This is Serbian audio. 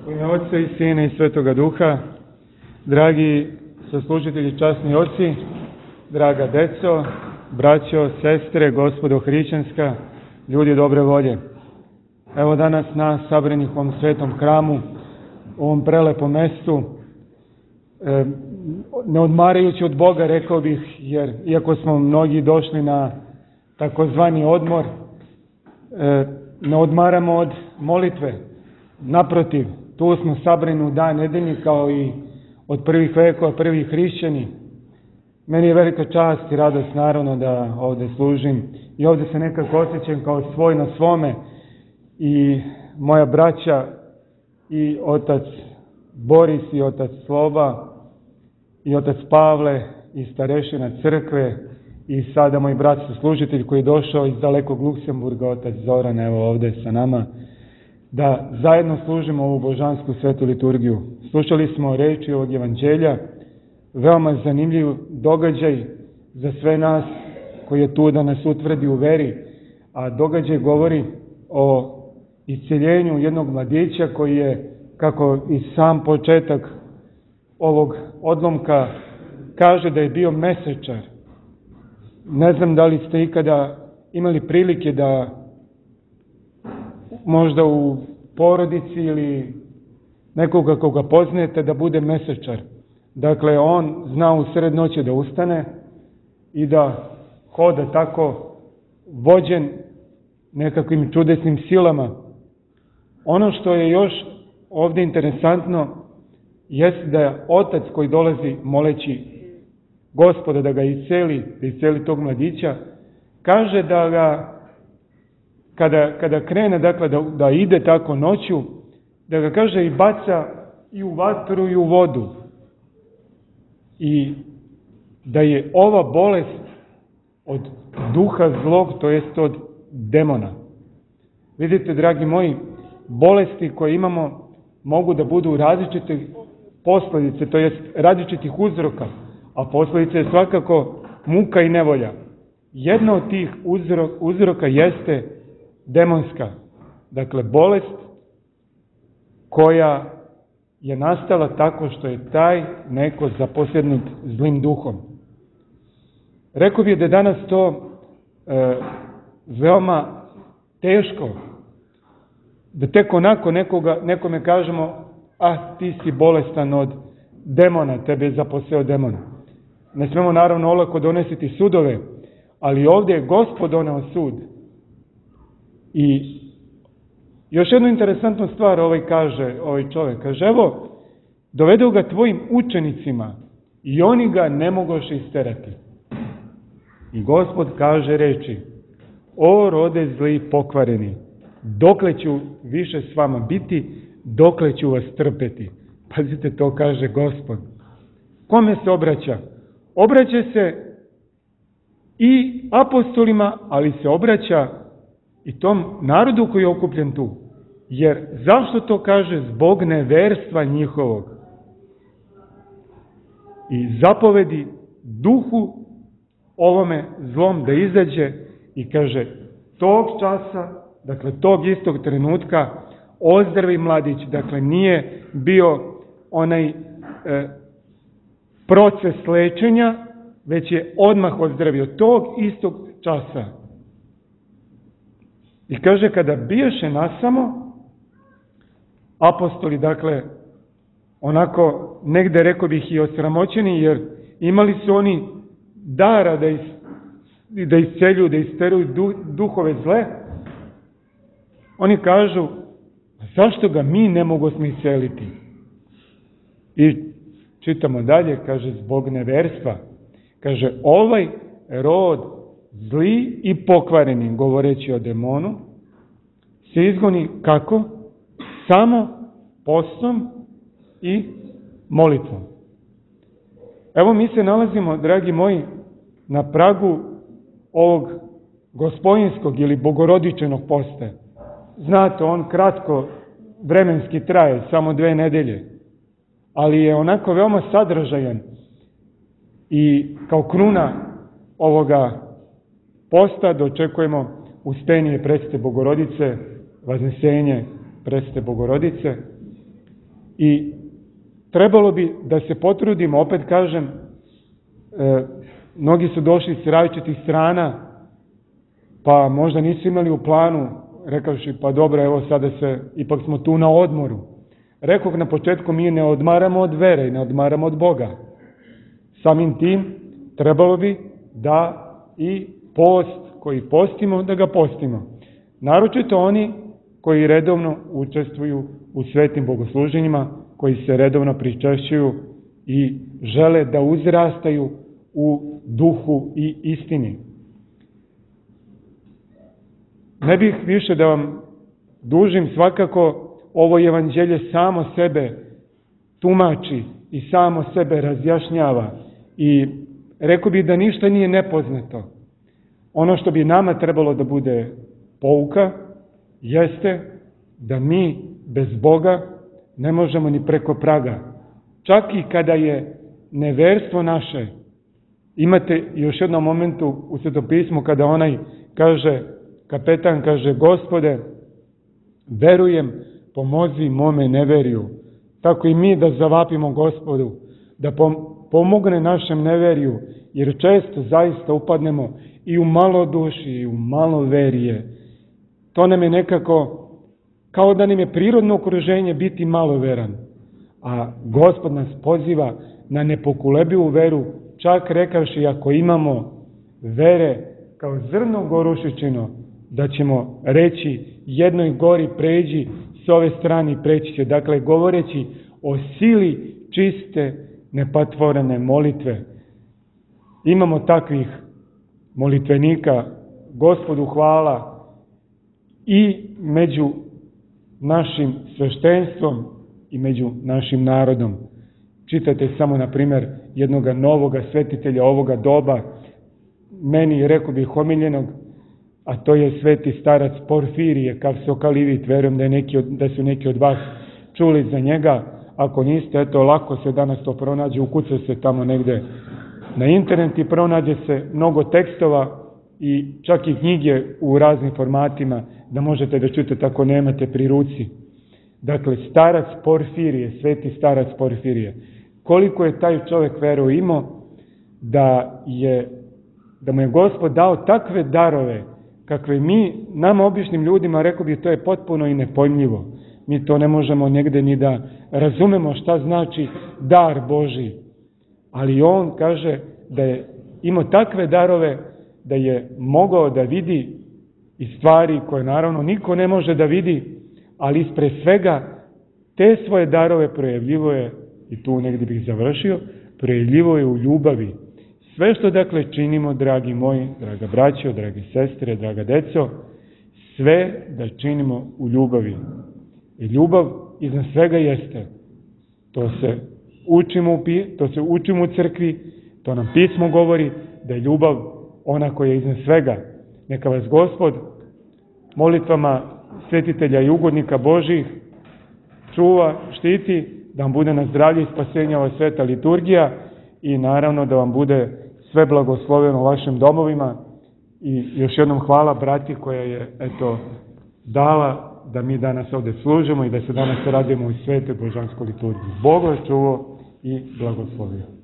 U ime Otca i Sina i Svetoga Duha, dragi saslušatelji, časni oci, draga deco, braćo, sestre, gospodo hrišćanska, ljudi dobre volje. Evo danas nas sabranih u ovom svetom hramu, u ovom prelepom mestu, ne odmarajući od Boga, rekao bih, jer iako smo mnogi došli na takozvani odmor, ne odmaramo od molitve. Naprotiv, tu smo sabrani u dan nedeljni kao i od prvih vekova, prvi hrišćani. Meni je velika čast i radost naravno da ovdje služim i ovdje se nekako osjećam kao svoj na svome i moja braća i otac Boris i otac Sloba i otac Pavle i starešina crkve i sada moj brat služitelj koji je došao iz dalekog Luksemburga, otac Zoran, evo ovdje sa nama, da zajedno služimo ovu božansku svetu liturgiju. Slušali smo reči ovog evanđelja, veoma zanimljiv događaj za sve nas koji je tu da nas utvrdi u veri, a događaj govori o isceljenju jednog mladića koji je, kako i sam početak ovog odlomka kaže, da je bio mesečar. Ne znam da li ste ikada imali prilike da možda u porodici ili nekoga koga poznajete da bude mesečar. Dakle, on zna u sred noći da ustane i da hoda tako vođen nekakvim čudesnim silama. Ono što je još ovdje interesantno jeste da je otac koji dolazi moleći Gospoda da ga isceli tog mladića, kaže da ga kada krene, dakle, da ide tako noću, da ga, kaže, i baca i u vatru i u vodu. I da je ova bolest od duha zlog, to jest od demona. Vidite, dragi moji, bolesti koje imamo mogu da budu različite posljedice, to jest različitih uzroka, a posljedice je svakako muka i nevolja. Jedna od tih uzroka jeste demonska, dakle bolest koja je nastala tako što je taj neko zaposjednut zlim duhom. Rekao bih da je danas to veoma teško, da tek onako nekome kažemo, ti si bolestan od demona, tebe je zaposeo demon. Ne smemo naravno olako donositi sudove, ali ovdje je Gospod doneo sud. I još jednu interesantnu stvar ovaj čovjek kaže, evo, dovedu ga tvojim učenicima i oni ga ne mogoše isterati. I Gospod kaže reči, o rode zli i pokvareni, dokle ću više s vama biti, dokle ću vas trpeti. Pazite, to kaže Gospod. Kome se obraća? Obraća se i apostolima, ali se obraća i tom narodu koji je okupljen tu. Jer zašto to kaže? Zbog neverstva njihovog. I zapovedi duhu ovome zlom da izađe i kaže, tog časa, dakle tog istog trenutka, ozdravi mladić. Dakle, nije bio onaj proces lečenja, već je odmah ozdravio tog istog časa. I kaže, kada bijaše nasamo, apostoli, dakle, onako negde, rekao bih, i osramoćeni, jer imali su oni dara da isceljuju, da isteruju duhove zle, oni kažu, zašto ga mi ne mogosmo isceliti? I čitamo dalje, kaže, zbog neverstva. Kaže, ovaj rod zli i pokvareni, govoreći o demonu, se izgoni kako? Samo postom i molitvom. Evo, mi se nalazimo, dragi moji, na pragu ovog gospodinskog ili bogorodičenog posta. Znate, on kratko vremenski traje, samo 2 nedelje, ali je onako veoma sadržajan i kao kruna ovoga posta dočekujemo ustenje Presvete Bogorodice, Vaznesenje Presvete Bogorodice. I trebalo bi da se potrudimo, opet kažem, mnogi su došli s različitih strana, pa možda nisu imali u planu, rekavši pa dobro, evo sada ipak smo tu na odmoru. Rekoh na početku, mi ne odmaramo od vere i ne odmaramo od Boga. Samim tim trebalo bi da i post koji postimo, da ga postimo. Naročito oni koji redovno učestvuju u svetim bogosluženjima, koji se redovno pričešćuju i žele da uzrastaju u duhu i istini. Ne bih više da vam dužim, svakako ovo evanđelje samo sebe tumači i samo sebe razjašnjava i rekao bih da ništa nije nepoznato. Ono što bi nama trebalo da bude pouka jeste da mi bez Boga ne možemo ni preko praga. Čak i kada je neverstvo naše, imate još jednom momentu u Svetopismu kada onaj kaže, kapetan kaže, Gospode, verujem, pomozi mome neverju. Tako i mi da zavapimo Gospodu, da pomogne našem neverju, jer često zaista upadnemo i u malo duši, i u malo verije. To nam je nekako, kao da nam je prirodno okruženje biti maloveran. A Gospod nas poziva na nepokolebivu veru, čak rekavši ako imamo vere kao zrno gorušičino, da ćemo reći jednoj gori pređi s ove strane i preći će. Dakle, govoreći o sili čiste, nepatvorene molitve. Imamo takvih molitvenika, Gospodu hvala, i među našim sveštenstvom i među našim narodom. Čitajte samo, na primjer, jednoga novoga svetitelja ovoga doba, meni, rekao bih, omiljenog, a to je sveti starac Porfirije, Kavsokalivit. Verujem da su neki od vas čuli za njega. Ako niste, eto, lako se danas to pronađe, ukuca se tamo negde na internet i pronađe se mnogo tekstova i čak i knjige u raznim formatima da možete da čutate ako nemate pri ruci. Dakle, starac Porfirije, sveti starac Porfirije. Koliko je taj čovjek veru imao da mu je Gospod dao takve darove kakve mi, nama običnim ljudima, rekao bi, to je potpuno i nepojmljivo. Mi to ne možemo negde ni da razumemo šta znači dar Božji. Ali on kaže da je imao takve darove da je mogao da vidi i stvari koje naravno niko ne može da vidi, ali ispred svega te svoje darove projavljivo je, i tu negdje bih završio, projavljivo je u ljubavi. Sve što dakle činimo, dragi moji, draga braćo, drage sestre, draga deco, sve da činimo u ljubavi. I ljubav iznad svega jeste. To se učimo u crkvi, to nam pismo govori, da je ljubav ona koja je iznad svega. Neka vas Gospod molitvama svetitelja i ugodnika Božih čuva, štiti, da vam bude na zdravlje i spasenje ova sveta liturgija i naravno da vam bude sve blagosloveno u vašim domovima. I još jednom hvala brati koja je dala da mi danas ovdje služimo i da se danas radimo u svetoj božanskoj liturgiji. Bog vas čuvao i blagoslovio.